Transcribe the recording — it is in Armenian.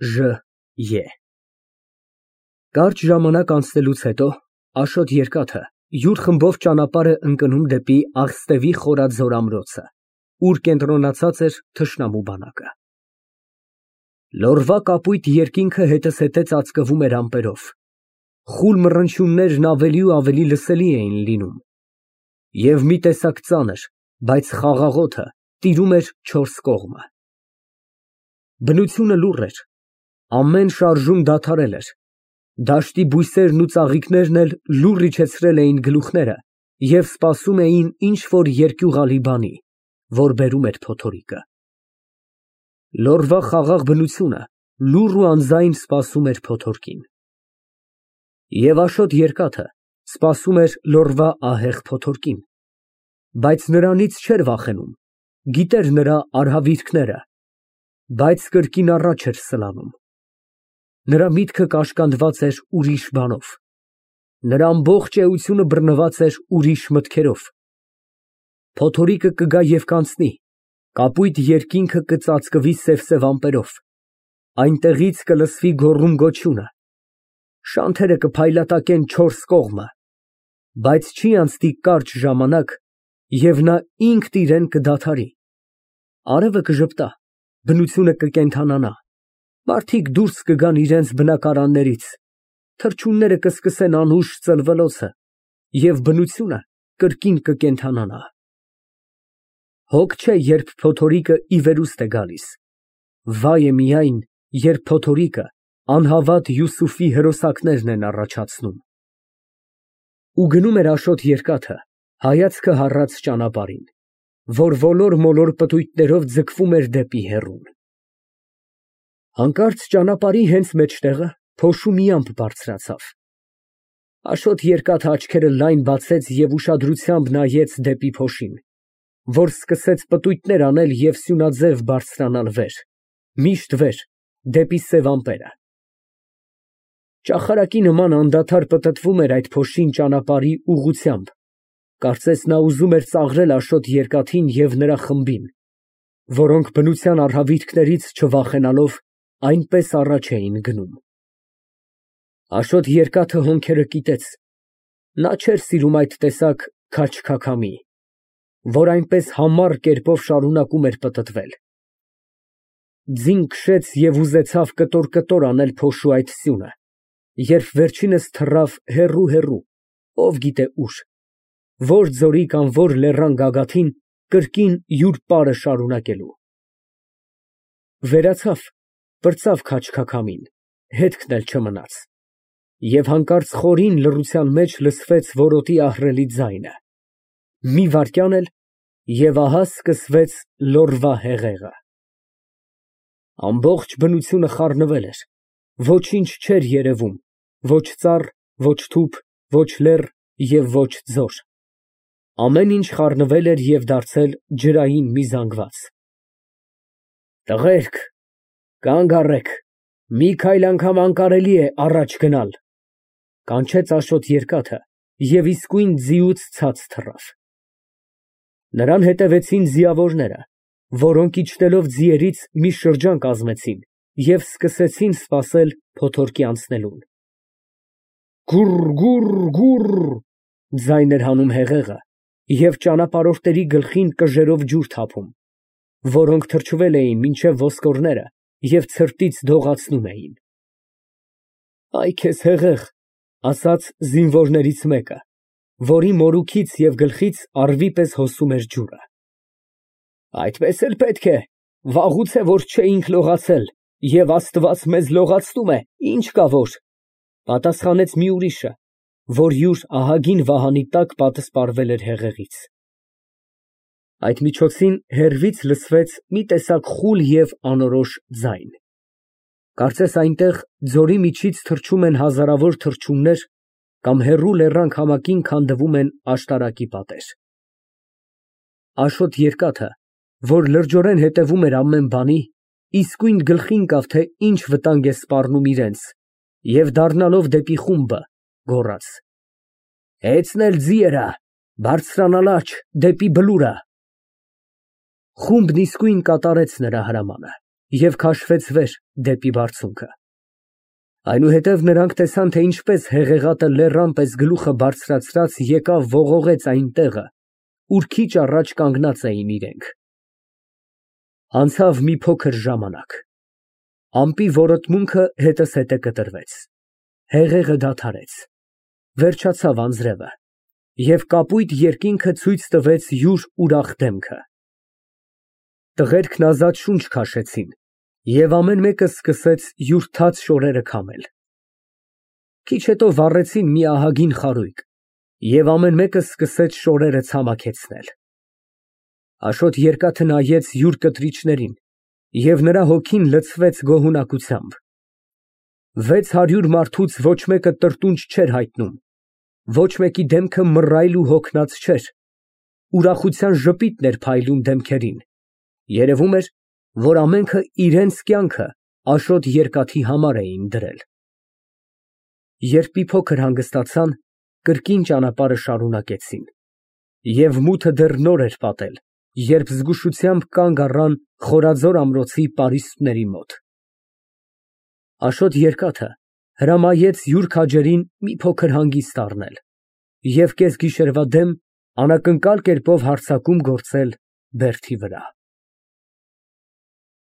Ջ. Կարճ ժամանակ անցնելուց հետո Աշոտ Երկաթը յուր խմբով ճանապարհ է ընկնում դեպի Աղստևի խորաձոր ամրոցը, ուր կենտրոնացած էր թշնամու բանակը։ Լորվա կապույտ երկինքը հետզհետե ծածկվում էր ամպերով, խուլ մռնչյուններն ավելի ու ավելի լսելի էին լինում, և մի տեսակ ծանր, բայց խաղաղոթը տիրում էր չորս կողմը։ Բնությունը լուռ էր, ամեն շարժում դադարել էր, դաշտի բույսերն ու ծաղիկներն էլ լուռ իջեցրել էին գլուխները և սպասում էին ինչ֊որ երկյուղալի բանի, որ բերում էր փոթորիկը։ Լորվա խաղաղ բնությունը լուռ ու անձայն սպասում էր փոթորկին։ Եվ Աշոտ Երկաթը սպասում էր լորվա ահեղ փոթորկին, բայց նրանից չէր վախենում, գիտեր նրա արհավիրքները, բայց կրկին առաջ էր սլանում։ Նրա միտքը կաշկանդված էր ուրիշ բանով, նրա ամբողջ էությունը բռնված էր ուրիշ մտքերով։ Փոթորիկը կգա և կանցնի, կապույտ երկինքը կծածկվի սև ամպերով, այնտեղից կլսվի գոռում֊գոչյունը, շանթերը կփայլատակեն չորս կողմը, բայց չի անցնի կարճ ժամանակ, և նա ինքն իրեն կդադարի, արևը կժպտա, բնությունը կկենդանանա, մարդիկ դուրս կգան իրենց բնակարաններից, թռչունները կսկսեն անուշ ծլվելոցը, և բնությունը կրկին կկենդանանա։ Հոգ չէ, երբ փոթորիկը ի վերուստ է գալիս, վայ է միայն, երբ փոթորիկը անհավատ Յուսուֆի հրոսակներն են առաջացնում։ Ու գնում էր Աշոտ Երկաթը հայացքը հառած ճանապարհին, որ ոլոր֊մոլոր պտույտներով ձգվում էր դեպի հեռուն։ Հանկարծ ճանապարհի հենց մեջտեղը փոշու մի ամպ բարձրացավ։ Աշոտ Երկաթը աչքերը լայն բացեց և ուշադրությամբ նայեց դեպի փոշին, որ սկսեց պտույտներ անել և սյունաձև բարձրանալ վեր, միշտ վեր, դեպի սև ամպերը։ Ճախարակի նման անդադար պտտվում էր այդ փոշին ճանապարհի ուղղությամբ, կարծես նա ուզում էր ծաղրել Աշոտ Երկաթին և նրա խմբին, որոնք բնության արհավիրքներից չվախենալով այնպես առաջ էին գնում։ Աշոտ Երկաթը հոնքերը կիտեց, նա չէր սիրում այդ տեսակ քաջ֊քաքամի, որ այնպես համառ կերպով շարունակում էր պտտվել։ Ձին քշեց և ուզեցավ կտոր֊կտոր անել փոշու այդ սյունը, երբ վերջինս թռավ հեռու, ով գիտե ուր, որ ձորի կամ որ լեռան գագաթին, կրկին յուր պարը շարունակելու։ Վերացավ, պրծավ քաջ֊քաքամին, հետքն էլ չմնաց, և հանկարծ խորին լռության մեջ լսվեց որոտի ահռելի ձայնը, մի վայրկյան էլ, և ահա սկսվեց լորվա հեղեղը։ Ամբողջ բնությունը խառնվել էր, ոչինչ չէր երևում, ոչ ծառ, ոչ թուփ, ոչ լեռ և ոչ ձոր, ամեն ինչ խառնվել էր և դարձել ջրային մի զանգված։ Տղերք, կանգ առեք, մի քայլ անգամ անկարելի է առաջ գնալ, կանչեց Աշոտ Երկաթը և իսկույն ձիուց ցած թռավ։ Նրան հետևեցին ձիավորները, որոնք իջնելով ձիերից մի շրջան կազմեցին և սկսեցին սպասել փոթորկի անցնելուն։ Գուռ, ձայն էր հանում հեղեղը և ճանապարհորդների գլխին կժերով ջուր թափում, որոնք թրջվել էին մինչև ոսկորները և ցրտից դողացնում էին։ Այ քեզ հեղեղ, ասաց զինվորներից մեկը, որի մորուքից և գլխից առվի պես հոսում էր ջուրը։ Այդպես էլ պետք է, վաղուց է որ չէինք լողացել, և Աստված մեզ լողացնում է, ինչ կա որ, պատասխանեց մի ուրիշը, որ յուր ահագին վահանի տակ պատսպարվել էր հեղեղից։ Այդ միջոցին հեռվից լսվեց մի տեսակ խուլ և անորոշ ձայն, կարծես այնտեղ ձորի միջից թռչում են հազարավոր թռչուններ կամ հեռու լեռան քամակին քանդվում են աշտարակի պատեր։ Աշոտ Երկաթը, որ լրջորեն հետևում էր ամեն բանի, իսկույն գլխի ընկավ, թե ինչ վտանգ է սպառնում իրենց, և դառնալով դեպի խումբը, գոռաց. Հեծնել ձիերը, բարձրանալ աջ, դեպի բլուրը։ Խումբն իսկույն կատարեց նրա հրամանը և քաշվեց վեր դեպի բարձունքը։ Այնուհետև նրանք տեսան, թե ինչպես հեղեղատը լեռան պես գլուխը բարձրացրած եկավ ողողեց այն տեղը, ուր քիչ առաջ կանգնած էին իրենք։ Անցավ մի փոքր ժամանակ, ամպի որոտմունքը հետզհետե կտրվեց, հեղեղը դադարեց, վերջացավ անձրևը, և կապույտ երկինքը ցույց տվեց յուր ուրախ դեմքը։ Տղերքն ազատ շունչ քաշեցին, և ամեն մեկը սկսեց յուր թաց շորերը քամել։ Քիչ հետո վառեցին մի ահագին խարույկ, և ամեն մեկը սկսեց շորերը ցամաքեցնել։ Աշոտ երկաթը նայեց յուր կտրիչներին, և նրա հոգին լցվեց գոհունակությամբ։ 600 մարդուց ոչ մեկը տրտունջ չէր հայտնում, ոչ մեկի դեմքը մռայլ ու հոգնած չէր, ուրախության ժպիտն էր փայլում դեմքերին, երևում էր, որ ամենքը իրենց կյանքը Աշոտ երկաթի համար էին դրել։ Երբ մի փոքր հանգստացան, կրկին ճանապարհը շարունակեցին, և մութը դեռ նոր էր պատել, երբ զգուշությամբ կանգ առան Խորաձոր ամրոցի պարիսպների մոտ։ Աշոտ երկաթը հրամայեց յուր քաջերին մի փոքր հանգիստ առնել և կեսգիշերվա դեմ անակնկալ կերպով հարձակում գործել բերդի վրա։